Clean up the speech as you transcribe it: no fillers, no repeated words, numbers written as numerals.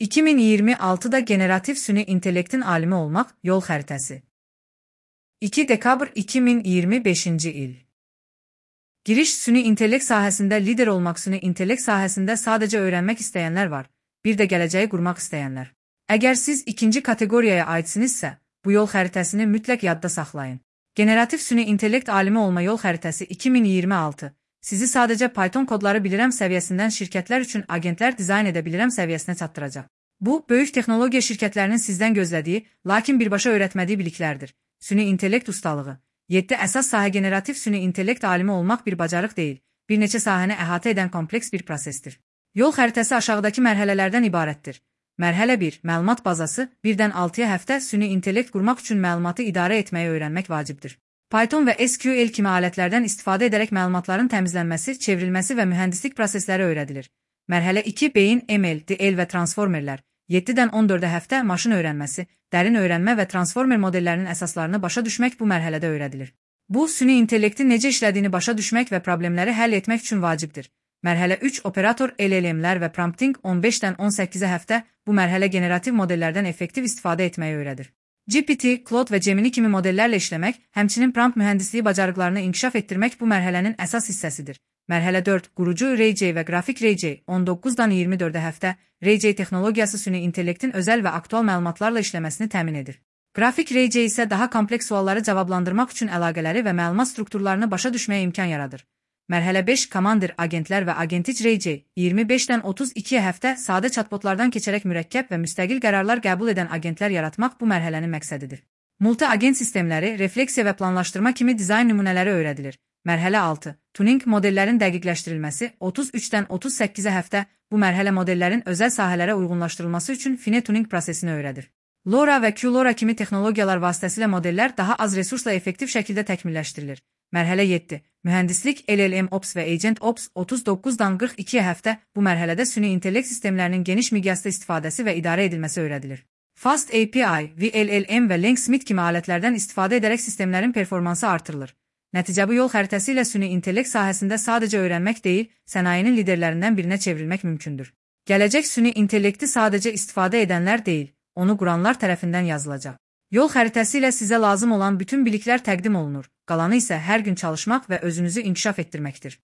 2026'da generatif süni intellektin alimi olmaq yol xəritəsi. 2 dekabr 2025-ci il. Giriş süni intellekt sahəsində lider olmaq. Süni intellekt sahəsində sadəcə öyrənmək istəyənlər var, bir də gələcəyi qurmaq istəyənlər. Əgər siz ikinci kateqoriyaya aidsinizsə, bu yol xəritəsini mütləq yadda saxlayın. Generatif süni intellekt alimi olma yol xəritəsi 2026 sizi sadəcə Python kodları bilirəm səviyyəsindən şirkətlər üçün agentlər dizayn edə bilirəm səviyyəsinə çatdıracaq. Bu, böyük texnologiya şirkətlərinin sizdən gözlədiyi, lakin birbaşa öyrətmədiyi biliklərdir. Süni intellekt ustalığı. 7 əsas sahə. Generatif süni intellekt alimi olmaq bir bacarıq deyil, bir neçə sahəni əhatə edən kompleks bir prosesdir. Yol xəritəsi aşağıdakı mərhələlərdən ibarətdir. Mərhələ 1. Məlumat bazası. 1-dən 6-ya həftə süni intellekt qurmaq üçün məlumatı idarə etməyi öyrənmək vacibdir. Python və SQL kimi alətlərdən istifadə edərək məlumatların təmizlənməsi, çevrilməsi və mühəndislik prosesləri öyrədilir. Mərhələ 2. Beyin, ML, DL və transformerlər. 7-dən 14-ə həftə maşın öyrənməsi, dərin öyrənmə və transformer modellərinin əsaslarını başa düşmək bu mərhələdə öyrədilir. Bu, süni intellektin necə işlədiyini başa düşmək və problemləri həll etmək üçün vacibdir. Mərhələ 3. Operator, LLM-lər və prompting. 15-dən 18-ə həftə bu mərhələ generativ modellərdən effektiv istifadə etməyi öyrədir. GPT, Claude və Gemini kimi modellərlə işləmək, həmçinin prompt mühəndisliyi bacarıqlarını inkişaf etdirmək bu mərhələnin əsas hissəsidir. Mərhələ 4. Qurucu RayJ və qrafik RayJ. 19-dan 24-ə həftə RayJ texnologiyası süni intellektin özəl və aktual məlumatlarla işləməsini təmin edir. Qrafik RayJ isə daha kompleks sualları cavablandırmaq üçün əlaqələri və məlumat strukturlarını başa düşməyə imkan yaradır. Mərhələ 5. Commander, agentlər və agentic RayJ. 25-dən 32-yə həftə sadə chatbotlardan keçərək mürəkkəb və müstəqil qərarlar qəbul edən agentlər yaratmaq bu mərhələnin məqsədidir. Multi-agent sistemləri, refleksiya və planlaşdırma kimi dizayn nümunələri öyrədilir. Mərhələ 6. Tuning, modellərin dəqiqləşdirilməsi. 33-dən 38-ə həftə bu mərhələ modellərin özəl sahələrə uyğunlaşdırılması üçün fine tuning prosesini öyrədir. LoRa və QLoRa kimi texnologiyalar vasitəsilə modellər daha az resursla effektiv şəkildə təkmilləşdirilir. Mərhələ 7. Mühəndislik, LLM Ops və Agent Ops. 39-dan 42-yə həftə bu mərhələdə süni intellekt sistemlərinin geniş miqyasda istifadəsi və idarə edilməsi öyrədilir. Fast API, VLLM və Landsmith kimi alətlərdən istifadə edərək sistemlərin performansı artırılır. Nəticə bu yol xəritəsi ilə süni intellekt sahəsində sadəcə öyrənmək deyil, sənayenin liderlərindən birinə çevrilmək mümkündür. Gələcək süni intellekti sadəcə istifadə edənlər deyil, onu quranlar tərəfindən yazılacaq. Yol xəritəsi ilə sizə lazım olan bütün biliklər təqdim olunur, qalanı isə hər gün çalışmaq və özünüzü inkişaf etdirməkdir.